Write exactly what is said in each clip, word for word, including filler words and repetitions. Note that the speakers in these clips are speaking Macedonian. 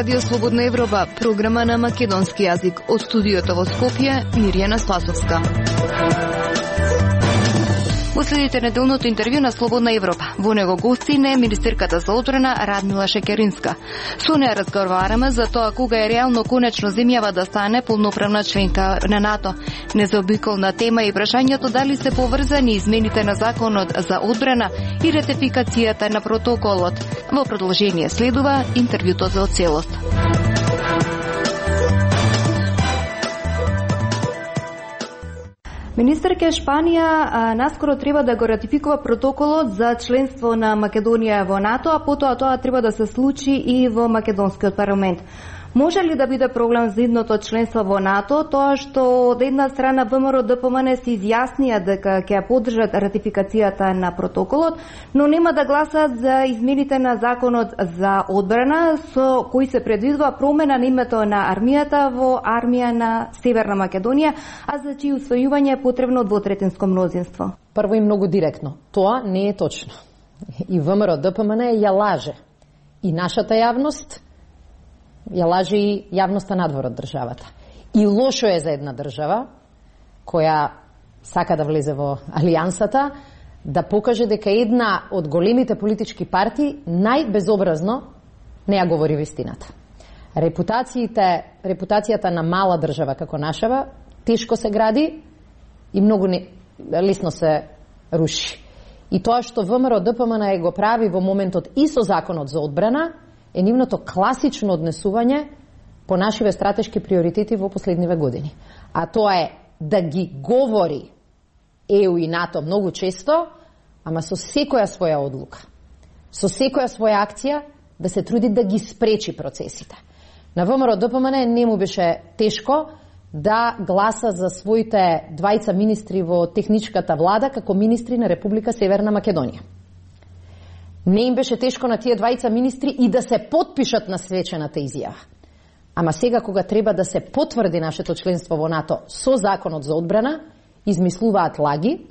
Радио Слободна Европа, програма на македонски јазик. Од студиото во Скопје, Мирјана Спасовска. Последите неделното интервју на Слободна Европа. Во него гостина е министерката за одбрана Радмила Шекеринска. Со неја разговараме за тоа кога е реално конечно земјава да стане полноправна членка на НАТО. Незаобиколна тема е прашањето дали се поврзани измените на законот за одбрана и ратификацијата на протоколот. Во продолжение следува интервјуто за целост. Министерка Шпанија а, наскоро треба да го ратификува протоколот за членство на Македонија во НАТО, а потоа тоа треба да се случи и во македонскиот парламент. Може ли да биде проблем за идното членство во НАТО тоа што од една страна ВМРО ДПМН се изјаснија дека ќе ја поддржат ратификацијата на протоколот, но нема да гласат за измените на законот за одбрана со кои се предвидува промена на името на армијата во армија на Северна Македонија, а за чии усвојување е потребно двотретинско мнозинство? Прво и многу директно. Тоа не е точно. И ВМРО ДПМН ја лаже. И нашата јавност ја лаже и јавноста надвор од државата. И лошо е за една држава која сака да влезе во алијансата да покаже дека една од големите политички партии најбезобразно не ја говори вистината. Репутациите, репутацијата на мала држава како нашава тешко се гради и многу не, лесно се руши. И тоа што ВМРО ДПМН го прави во моментот и со законот за одбрана е нивното класично однесување по нашиве стратешки приоритети во последниве години. А тоа е да ги говори Е У и НАТО многу често, ама со секоја своја одлука, со секоја своја акција да се труди да ги спречи процесите. На ВМРО ДПМН не му беше тешко да гласа за своите двајца министри во техничката влада како министри на Република Северна Македонија. Не им беше тешко на тие двајца министри и да се потпишат на свечената изјава. Ама сега кога треба да се потврди нашето членство во НАТО со законот за одбрана, измислуваат лаги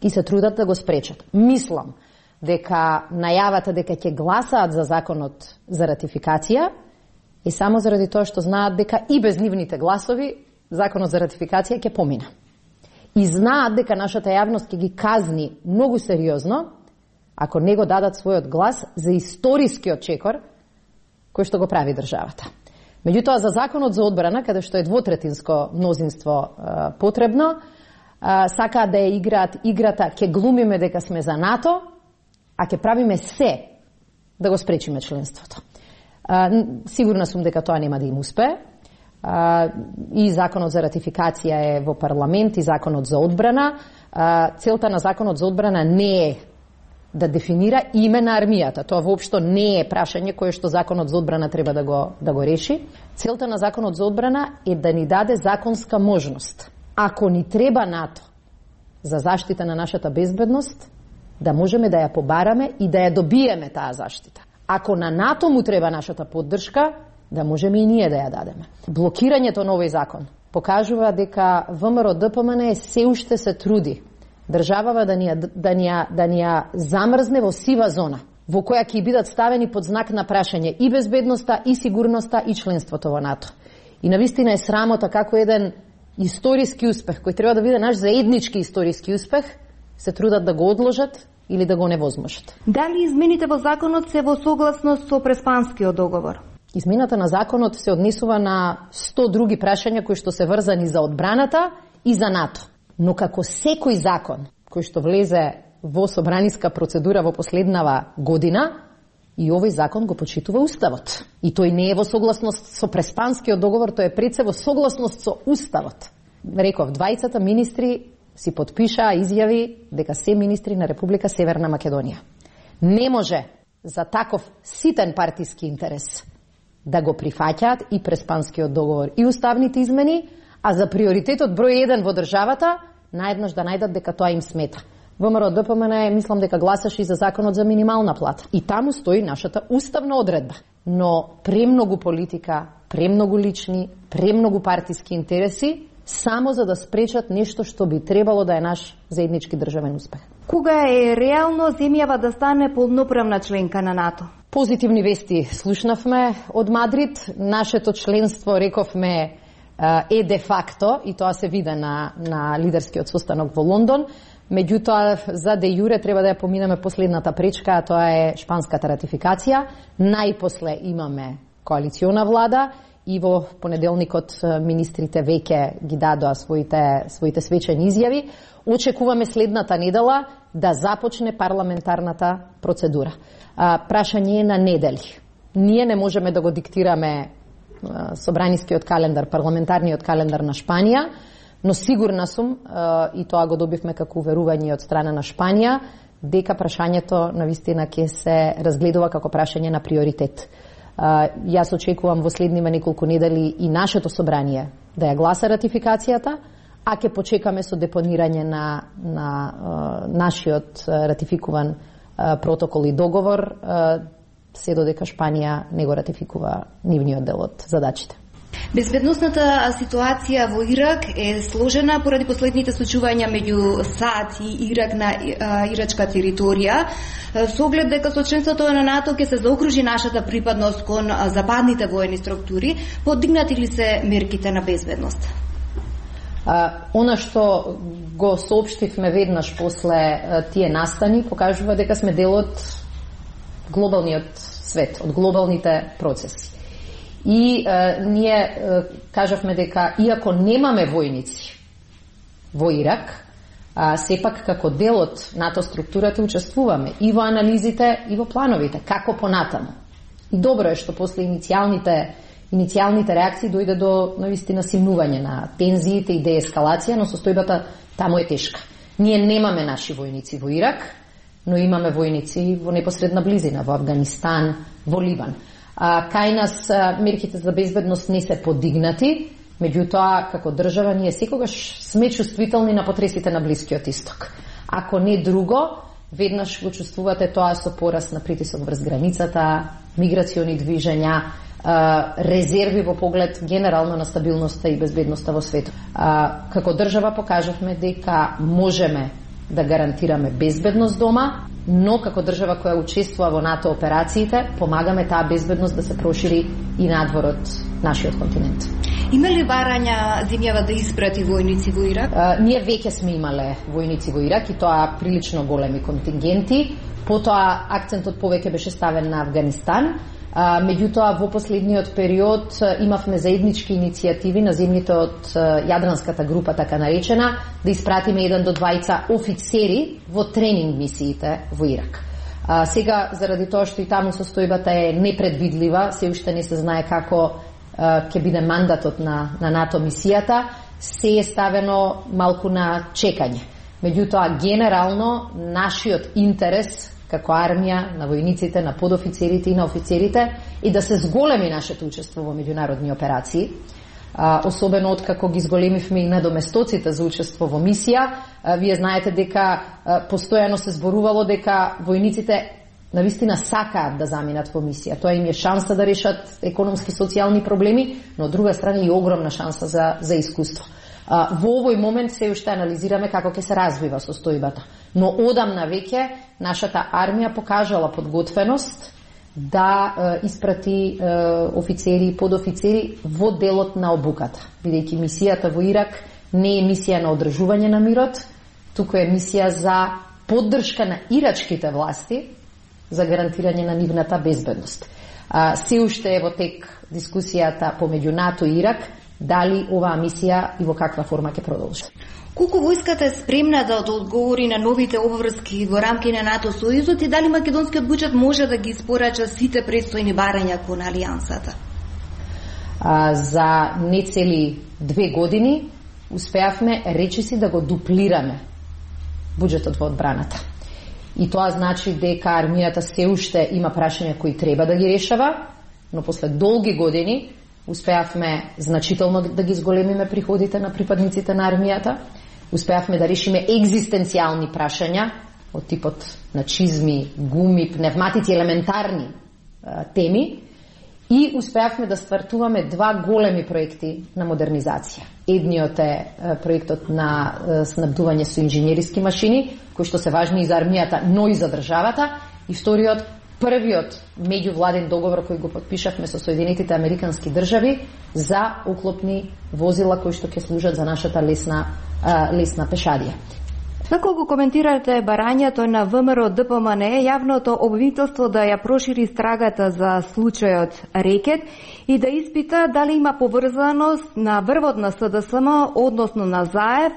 и се трудат да го спречат. Мислам дека најавата дека ќе гласаат за законот за ратификација е само заради тоа што знаат дека и без нивните гласови законот за ратификација ќе помина. И знаат дека нашата јавност ќе ги казни многу сериозно ако не го дадат својот глас за историскиот чекор кој што го прави државата. Меѓутоа, за законот за одбрана, каде што е двотретинско мнозинство е, потребно, е, сакаат да ја играат играта, ќе глумиме дека сме за НАТО, а ќе правиме се да го спречиме членството. Е, сигурна сум дека тоа нема да им успее. Е, и законот за ратификација е во парламент, и законот за одбрана. Е, целта на законот за одбрана не е да дефинира име на армијата. Тоа воопшто не е прашање кое што законот за одбрана треба да го, да го реши. Целта на законот за одбрана е да ни даде законска можност. Ако ни треба НАТО за заштита на нашата безбедност, да можеме да ја побараме и да ја добиеме таа заштита. Ако на НАТО му треба нашата поддршка, да можеме и ние да ја дадеме. Блокирањето на овој закон покажува дека ВМРО ДПМН се уште се труди државава да ни ја, да ни ја, да ни ја замрзне во сива зона, во која ќе бидат ставени под знак на прашање и безбедноста, и сигурноста, и членството во НАТО. И навистина е срамота како еден историски успех, кој треба да биде наш заеднички историски успех, се трудат да го одложат или да го невозможат. Дали измените во законот се во согласност со Преспанскиот договор? Измената на законот се однесува на сто други прашања кои што се врзани за одбраната и за НАТО. Но како секој закон кој што влезе во собраниска процедура во последнава година, и овој закон го почитува Уставот. И тој не е во согласност со Преспанскиот договор, тој е пред се во согласност со Уставот. Реков, двајцата министри си подпишаа изјави дека се министри на Република Северна Македонија. Не може за таков ситен партиски интерес да го прифаќаат и Преспанскиот договор и уставните измени, а за приоритетот број еден во државата, наеднаш да најдат дека тоа им смета. ВМРО ДПМН мислам дека гласаше и за законот за минимална плата. И таму стои нашата уставна одредба. Но премногу политика, премногу лични, премногу партиски интереси само за да спречат нешто што би требало да е наш заеднички државен успех. Кога е реално земјава да стане полноправна членка на НАТО? Позитивни вести слушнавме од Мадрид. Нашето членство, рековме, е де факто, и тоа се виде на, на лидерскиот состанок во Лондон. Меѓутоа, за де јуре треба да ја поминеме последната пречка, а тоа е шпанската ратификација. Најпосле имаме коалициона влада и во понеделникот министрите веќе ги дадоа своите, своите свечени изјави. Очекуваме следната недела да започне парламентарната процедура. А, прашање е на недели. Ние не можеме да го диктираме а, собранискиот календар, парламентарниот календар на Шпанија, но сигурна сум, а, и тоа го добивме како уверување од страна на Шпанија, дека прашањето навистина ќе се разгледува како прашање на приоритет. А, јас очекувам во следниве неколку недели и нашето собрание да ја гласа ратификацијата, а ќе почекаме со депонирање на, на а, нашиот ратификуван а, протокол и договор, а, се додека Шпанија не го ратификува нивниот дел од задачите. Безбедносната ситуација во Ирак е сложена поради последните случувања меѓу САД и Ирак на а, ирачка територија. Со оглед дека со членството на НАТО ќе се заокружи нашата припадност кон а, западните воени структури, подигнати ли се мерките на безбедност? Uh, она што го соопштивме веднаш после uh, тие настани покажува дека сме дел од глобалниот свет, од глобалните процеси. И uh, ние uh, кажавме дека иако немаме војници во Ирак, uh, сепак како дел од НАТО структурата учествуваме и во анализите и во плановите, како понатаму. И добро е што после иницијалните Иницијалните реакции дојде до навистина симнување на тензиите и деескалација, но состојбата таму е тешка. Ние немаме наши војници во Ирак, но имаме војници во непосредна близина, во Афганистан, во Ливан. А, кај нас а, мерките за безбедност не се подигнати, меѓутоа како држава ние секогаш сме чувствителни на потресите на Блискиот Исток. Ако не друго, веднаш го чувствувате тоа со пораст на притисок врз границата, миграциони движења, резерви во поглед генерално на стабилноста и безбедноста во светот. Како држава покажавме дека можеме да гарантираме безбедност дома, но како држава која учествува во НАТО операциите, помагаме таа безбедност да се прошири и надвор од нашиот континент. Има ли барања земјава да испрати војници во Ирак? А, ние веќе сме имале војници во Ирак и тоа прилично големи контингенти. Потоа акцентот повеќе беше ставен на Афганистан. А, меѓутоа, во последниот период имавме заеднички иницијативи на земјите од Јадранската група, така наречена, да испратиме еден до двајца офицери во тренинг мисиите во Ирак. А, сега, заради тоа што и таму состојбата е непредвидлива, се уште не се знае како а, ќе биде мандатот на, на НАТО мисијата, се е ставено малку на чекање. Меѓутоа, генерално, нашиот интерес како армија, на војниците, на подофицерите и на офицерите и да се зголеми нашето учество во меѓународни операции. А, особено откако ги зголемивме и надоместоците за учество во мисија, а, вие знаете дека а, постојано се зборувало дека војниците навистина сакаат да заминат во мисија. Тоа им е шанса да решат економски социјални проблеми, но од друга страна и огромна шанса за, за искуство. А, во овој момент се уште анализираме како ќе се развива состојбата. Но одамна веќе нашата армија покажала подготвеност да е, испрати е, офицери и подофицери во делот на обуката. Бидејќи мисијата во Ирак не е мисија на одржување на мирот, туку е мисија за поддршка на ирачките власти за гарантирање на нивната безбедност. А, се уште е во тек дискусијата помеѓу НАТО и Ирак, дали оваа мисија и во каква форма ќе продолжи. Колку војската е спремна да одговори на новите обврски во рамки на НАТО сојузот и дали македонскиот буџет може да ги испорача сите предстојни барања кон алијансата? А, за нецели две години успеавме речиси да го дуплираме буџетот во одбраната. И тоа значи дека армијата се уште има прашања кои треба да ги решава, но после долги години успеавме значително да ги зголемиме приходите на припадниците на армијата, успеавме да решиме екзистенцијални прашања од типот на чизми, гуми, пневматици, елементарни а, теми И успеавме да стартуваме два големи проекти на модернизација. Едниот е проектот на снабдување со инженериски машини, кои што се важни и за армијата, но и за државата. И вториот, првиот меѓувладен договор кој го подпишавме со Соединетите Американски држави за оклопни возила кои што ќе служат за нашата лесна, лесна пешадија. Како го коментирате барањето на ВМРО Д П М Н јавното обвинителство да ја прошири страгата за случајот Рекет и да испита дали има поврзаност на врвот на С Д С М, односно на Заев,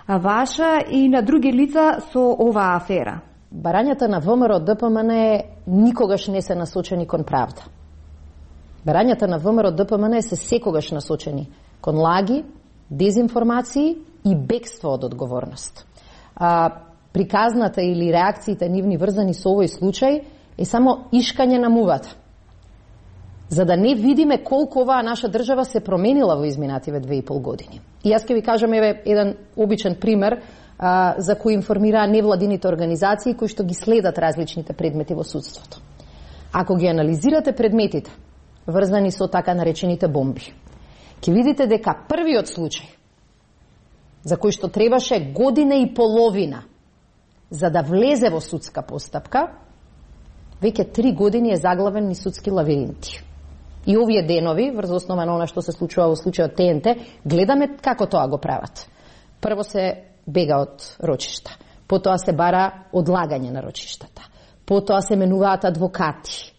ваша и на други лица со оваа афера? Барањата на ВМРО Д П М Н никогаш не се насочени кон правда. Барањата на ВМРО Д П М Н се секогаш насочени кон лаги, дезинформации и бегство од одговорност. А, приказната или реакциите нивни врзани со овој случај е само ишкање на мувата. За да не видиме колку оваа наша држава се променила во изминативе две и пол години. И јас ќе ви кажам еве еден обичен пример а, за кој информираа невладините организации кои што ги следат различните предмети во судството. Ако ги анализирате предметите врзани со така наречените бомби, ќе видите дека првиот случај за кој што требаше година и половина за да влезе во судска постапка, веќе три години е заглавен низ судски лавиринти. И овие денови, врз основа на она што се случува во случајот Т Н Т, гледаме како тоа го прават. Прво се бега од рочишта, потоа се бара одлагање на рочиштата, потоа се менуваат адвокати,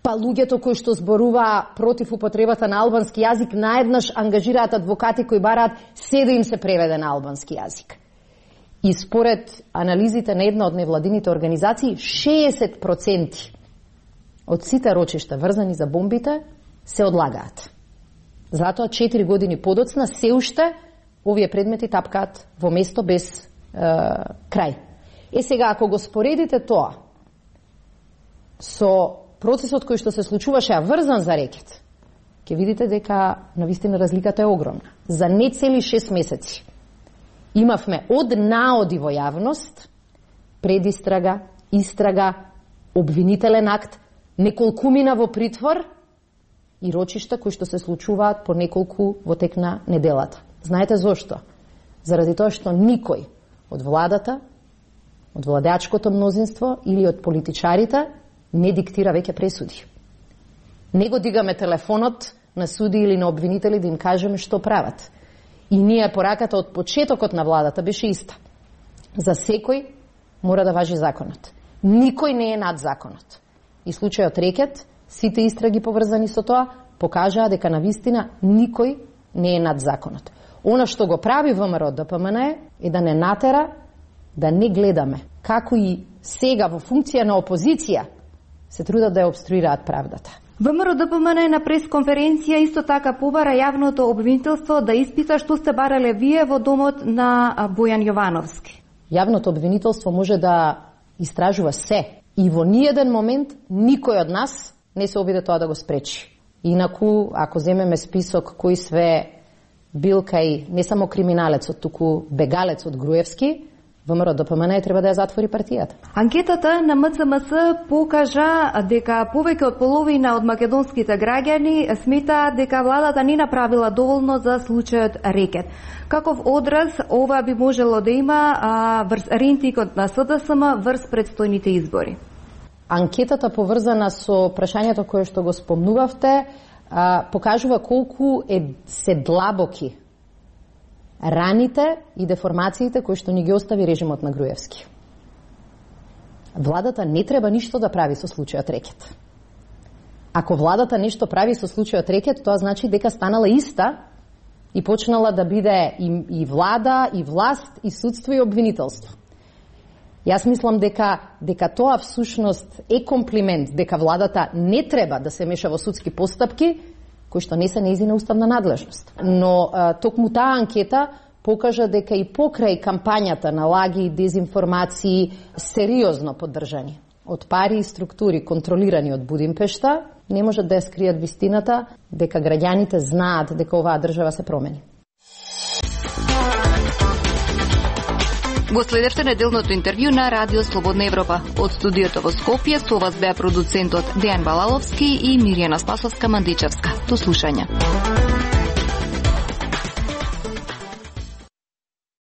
па луѓето кои што зборуваа против употребата на албански јазик наеднаш ангажираат адвокати кои бараат се да им се преведе на албански јазик. И според анализите на една од невладините организации, шеесет проценти од сите рочишта врзани за бомбите се одлагаат. Затоа четири години подоцна се уште овие предмети тапкаат во место без е, крај. Е сега, ако го споредите тоа со процесот кој што се случуваше врзан за Рекет, ќе видите дека навистина разликата е огромна. За не цели шест месеци имавме од наоди во јавност, предистрага, истрага, обвинителен акт, неколкумина во притвор и рочишта кои што се случуваат по неколку во тек на неделата. Знаете зошто? Заради тоа што никој од владата, од владеачкото мнозинство или од политичарите не диктира веќе пресуди. Не го дигаме телефонот на суди или на обвинители да им кажеме што прават. И ние пораката од почетокот на владата беше иста. За секој мора да важи законот. Никој не е над законот. И случајот Рекет, сите истраги поврзани со тоа, покажаа дека навистина никој не е над законот. Она што го прави ВМРО Д П М Н е да не натера да не гледаме како и сега во функција на опозиција се трудат да ја обструираат правдата. ВМРО Д П М Н на пресконференција исто така побара јавното обвинителство да испита што сте барале вие во домот на Бојан Јовановски. Јавното обвинителство може да истражува се и во ниеден момент никој од нас не се обиде тоа да го спречи. Инаку, ако земеме список кој све бил кај не само криминалецот, туку бегалец од Груевски, ВМРО Д П М Н треба да ја затвори партијата. Анкетата на М Ц М С покажа дека повеќе од половина од македонските граѓани сметаат дека владата не направила доволно за случајот Рекет. Каков одраз ова би можело да има а, врз рентикот на С Д С М врз предстојните избори? Анкетата поврзана со прашањето кое што го спомнувавте а, покажува колку е се длабоки раните и деформациите кои што ни ги остави режимот на Груевски. Владата не треба ништо да прави со случајот Рекет. Ако владата нешто прави со случајот Рекет, тоа значи дека станала иста и почнала да биде и, и влада, и власт, и судство, и обвинителство. Јас мислам дека дека тоа всушност е комплимент, дека владата не треба да се меша во судски постапки кои што не се нејзина уставна надлежност. Но а, токму таа анкета покажа дека и покрај кампањата на лаги и дезинформации сериозно поддржани од пари и структури контролирани од Будимпешта, не можат да ја скријат вистината дека граѓаните знаат дека оваа држава се промени. Го следевте неделното интервју на Радио Слободна Европа. Од студиото во Скопје со вас беа продуцентот Дејан Балаловски и Мирјана Спасовска Мандичевска. До слушање.